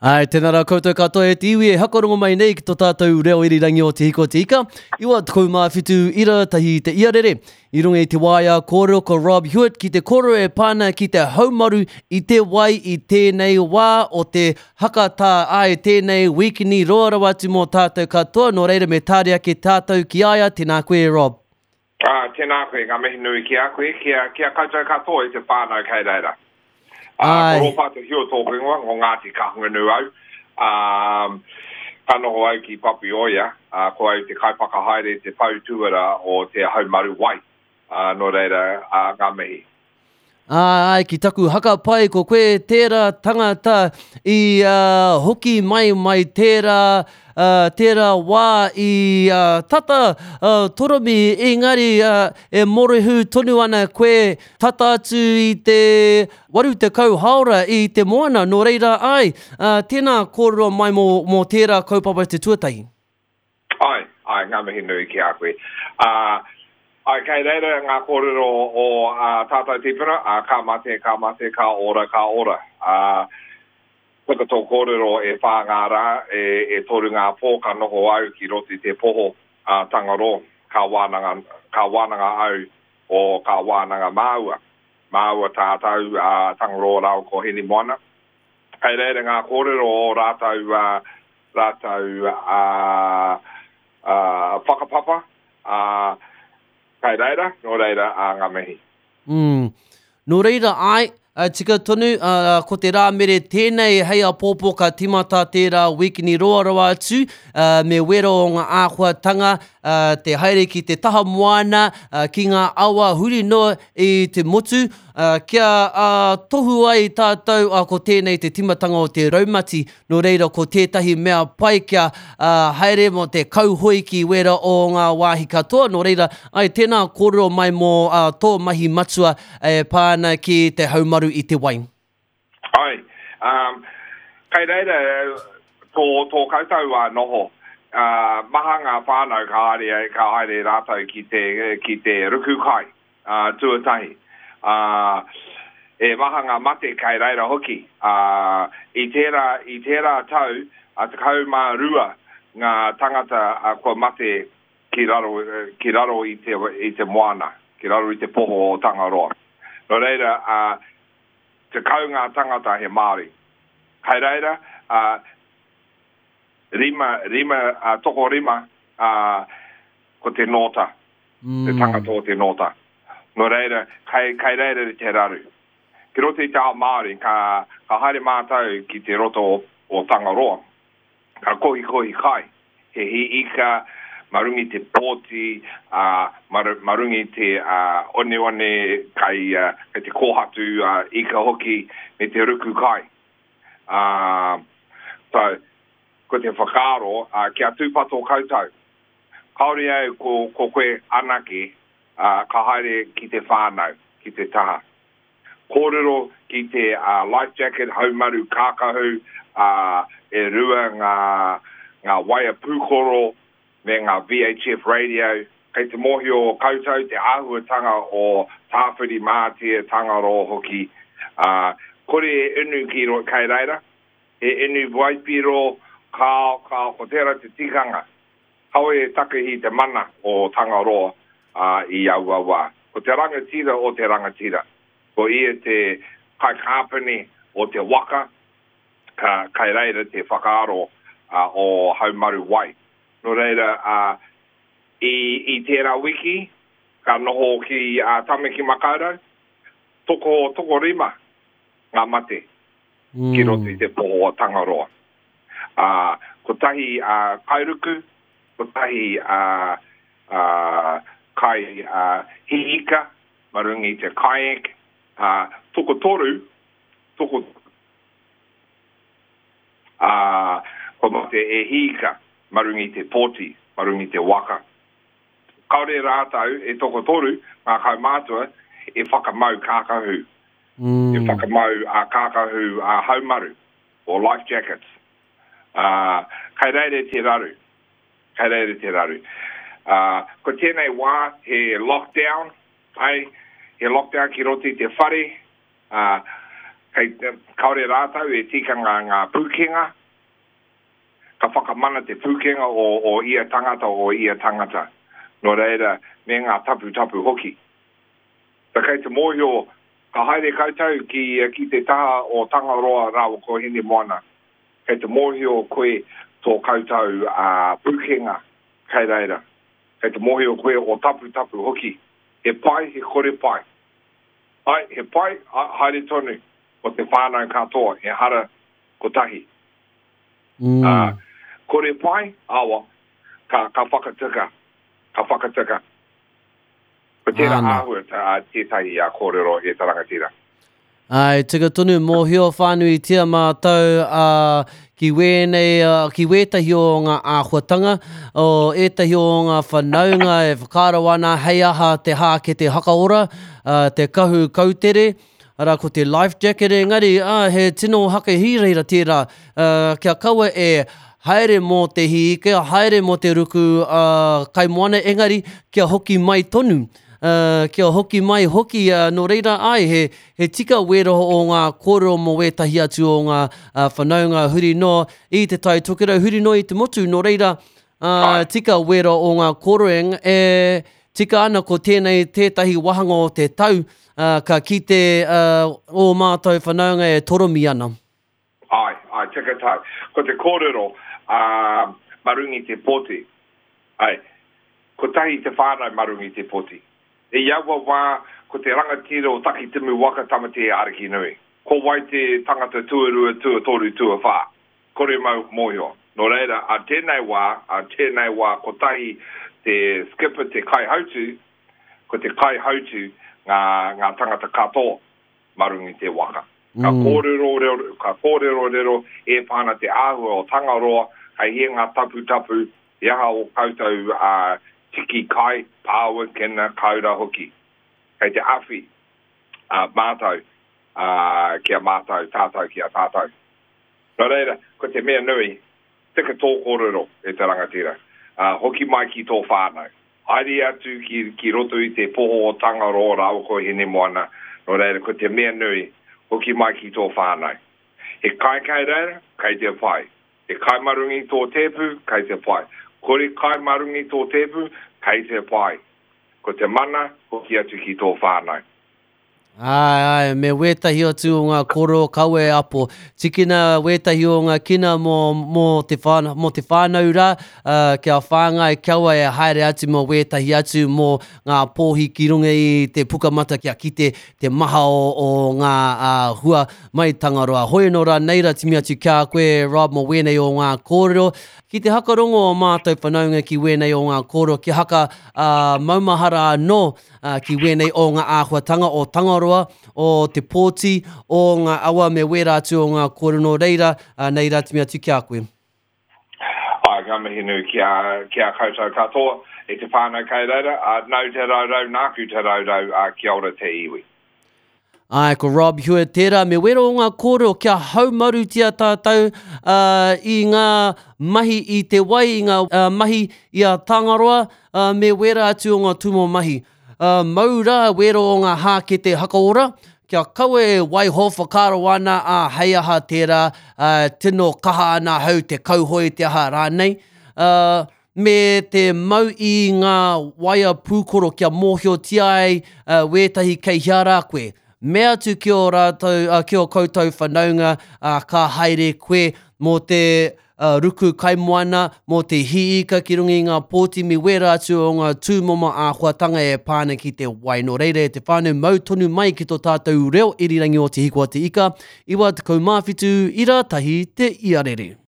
Āe, tēnā rā koutou katoa e te iwi e hakarongo mai nei ki tō tātou reo irirangi o Te Hiko Te Ika, 97 ira tahi te iarere. I runga i te waea kōrero ko Rob Hewitt ki te kōrero e pā ana ki te haumaru i te wai i tēnei wā o te hakatā. Āe, tēnei wīkini roa rawa atu mō tātou katoa, nō reira me tāria ake tātou ki a ia, tēnā koe e Rob. Ā, tēnā koe, ngā mihi nui ki a koe, ki a, ki a koutou katoa i te whānau kei reira. Ā, ko Rōpata Hua tōku ingoa, ko Ngāti Kahungunu au. Ā, ka noho au ki Papioia, ā, ko au te kaiwhakahaere, te pou tūara o te haumaru wai. Ā, nō reira, ā, ngā mihi. Āe, ki taku haka pai ko koe tērā tangata i hoki mai mai tērā, tērā wā i tata toromi engari e mōrehu tonu ana koe tata atu i te 80 haora i te moana, nō reira āe, tēnā kōrero mai mō tērā kaupapa te tuatahi. Āe, āe, ngā mihi nui ki a koe. Ā, āe, kei reira ngā kōrero o ā tātou tīpuna, ā, ka mate, ka mate, ka ora, ka ora. Ā, puta tō kōrero e whā ngā rā, e, e toru ngā pō ka noho au ki roto i te poho a Tangaroa, ka wānanga, ka wānanga au o ka wānanga māua. Māua tātou, ā, Tangaroa rāua ko Hinemoana. Kei reira ngā kōrero o rātou, ā, rātou ā, ā, whakapapa, ā, kei reira, nō reira, ā, ngā mihi. Mm. Nō reira, āe, tika tonu, ā, ko te Rāmere tēnei hei āpōpō ka tīmata tērā wīkini roa rawa atu, ā, me wero o ngā āhuatanga, ā, te haere ki te taha moana, ā, ki ngā awa huri noa i te motu, ā, kia, ā, tohu ai tātou, ā, ko tēnei te tīmatanga o te raumati, Nō reira ko tētahi mea pai kia haere mō te kauhoi ki wēra o ngā wāhi katoa, nō reira, ai, tēnā kōrero mai mō tō mahi matua e pā ana ki te haumaru i te wai. Ai, um, kei reira tō, tō koutou uh, noho. Uh, maha ngā whānau ka haere, ka haere rātou ki te, ki te ruku kai. Ā, tuatahi, ā, e maha ngā mate kei reira hoki. Ā, i tērā, i tērā tau, ā, 12 ngā tangata kua mate ki raro, ki raro i te, i te moana, ki raro i te poho o Tangaroa. Nō reira, ā, 10 ngā tangata he Māori. Kei reira, ā, rima, rima, ā, tokorima, ā, ko te nōta. te tangata o te nōta. Nō reira, kei, kei reira te raru. Ki roto i te ao Māori, ka, ka haere mātou ki te roto o, o Tangaroa, ka kohikohi kai, he hī ika, ma runga i te pōti, ā, ma, ma runga i te ā, oneone, kai, ā, kai te kōhatu ā, ika hoki, me te ruku kai. Ā, so, ko te whakaaro, ā, kia tūpato koutou. Kāore au ko, ko koe anake, ā, ka haere ki te whānau, ki te taha. Kōrero ki te ā, life jacket, haumaru kākahu, ā, e rua ngā, ngā waea pūkoro me ngā VHF radio. Kei te mōhio koutou te āhuatanga o Tāwhirimātea, Tangaroa hoki, ā, kore e inu ki ro, kei reira. He inu waipiro, kāo, kāo, ko tērā te tikanga. Kawe e takahi te mana o Tangaroa i aua wā. Ko te rangatira o te rangatira. Ko ia te kaikāpene o te waka, ka, kai reira te whakaaro o Haumaru Wai. Nō reira, i, i tērā wiki, ka noho ki Tamaki Makaurau, toko, tokorima ngā mate ki roto i te poho o Tangaroa. Ā, kotahi a Kairuku, kotahi a, a Kai a Hiika, ma runga i te kayak, ā, tokotoru, toko, ā, kua mate e Hiika ma runga i te poti, ma runga i te waka. Kāore rātou e tokotoru, ngā kaumātua, e whakamau kākahu. E whakamau a kākahu a haumaru, or life jackets. Ā, kei reira te raru. Kei reira te raru. Ā, ko tēnei wā he lockdown, āe, he lockdown ki roto i te whare, ā, Kei, kāore rātou e tikanga ngā pūkenga, ka whakamana te pūkenga o, o ia tangata, o ia tangata. Nō reira, me ngā taputapu hoki. Ta kei te mōhio, ka haere koutou ki, ki te taha o Tangaroa rāua ko Hinemoana, kei te mōhio koe tō koutou pūkenga kei reira. Kei te mōhio koe o taputapu hoki. He pai, he kore pai. Ai, he pai, haere tonu ko te whānau katoa, ehara kotahi. Mm. Ā, kore pai, awa, ka, ka whakatika, ka whakatika. Ko tērā āhua tā, tētahi a kōrero e te rangatira. Āe, tika tonu, mōhio whānuitia mātou ā, ki wēnei, ki wētahi o ngā āhuatanga, o ētahi o ngā whanaunga e whakaaro ana hei aha te hākete hakaora, te kahu kautere, arā ko te life jacket engari, ā, he tino hakahirahira tērā, ā, kia kaua e haere mō te hī, kia haere mō te ruku ā, kaimoana engari kia hoki mai tonu. Ā, kia hoki mai hoki, ā, nō reira, āe, he, he tika wēra o ngā kōrero mō wētahi atu o ngā whanaunga huri noa i Te Tai Tokerau, huri noa i te motu, nō reira, ā, tika wēra o ngā kōrero, eng, e tika ana ko tēnei tētahi wāhanga o te tau, ā, ka kite, ā, ō mātou whanaunga e toromi ana. Āe, āe, tika tāu. Ko te kōrero, ā, mā runga i te pōti. Āe, kotahi te whānau mā runga i te pōti. I aua wā, ko te rangatira o Takitimu waka Tamatea Arikinui. Ko wai te tangata tuarua, tuatoru, tuawhā? Kore mau mōhio. Nō reira, ā tēnei wā, ā tēnei wā kotahi te skipper, te kaihautū, ko te kaihautū ngā, ngā tangata katoa. mā runga i te waka. Ka kōrerorero, ka kōrerorero e pā ana te āhua o Tangaroa, kei hea ngā taputapu, he aha ō koutou tiki kai, pāua, kina, kāura hoki. Kei te awhi mātou ki a mātou, tātou ki a tātou. Nō reira, ko te mea nui, tika tō kōrero e te rangatira. Hoki mai ki tō whānau. Haere atu ki, ki roto i te poho o Tangaroa rāua ko Hinemoana, nō reira ko te mea nui, hoki mai ki tō whānau. He kai kei reira, kei te pai. He kai mā runga i tō tēpu, kei te pai. Kore kai mā runga i tō tēpu, kei te pai. Ko te mana, hoki atu ki tō whānau. Āe, āe, me wētahi atu o ngā kōrero kawe apo. Tikina wētahi o ngā kina mō, mō te whānau, mō te whānau rā, ā, kia whāngai kaua e haere atu mō wētahi atu mō ngā pōhi ki runga i te pukamata kia kite te maha o, o ngā ā, hua mai Tangaroa. Hoi anō rā, nei rā timi atu ki a koe, Rob, mō wēnei o ngā kōrero. Ki te hakarongo o mātou whanaunga ki wēnei o ngā kōrero, kia haka, ā, maumahara anō, ā, ki wēnei o ngā āhuatanga o Tangaroa, o Te Pōti, o ngā awa me wērā atu o ngā kōrero nō reira, ā, nei rā timi atu ki a koe. Āe, ka mihi nui ki a, ki a koutou katoa, e te whānau kei reira, ā, nau te raurau, nāku te raurau, ā, kia ora te iwi. Āe, ko Rob Hewitt tērā, me wero o ngā kōrero kia haumarutia tātou ā, i ngā mahi i te wai, i ngā ā, mahi i a Tangaroa, ā, me wērā atu o ngā tūmomo mahi. Ā, mau rā wero o ngā hākete hakaora, kia kaua e waiho whakaaro ana, ā, hei aha tērā, ā, tino kaha ana ahau te kauhoe te aha rānei. Ā, me te mau i ngā waea pūkoro kia mōhiotia ai wētahi kei hea rā koe. Mea atu ki ō rātou, ki ō koutou whanaunga, ka haere koe mō te ruku kaimoana, mō te hī ika ki runga i ngā pōti me wērā atu o ngā tūmomo āhuatanga e pā ana ki te wai. Nō reira e te whānau, mau tonu mai ki tō tātou reo irirangi o Te Hiko a Te Ika, 97 ira tahi te iarere.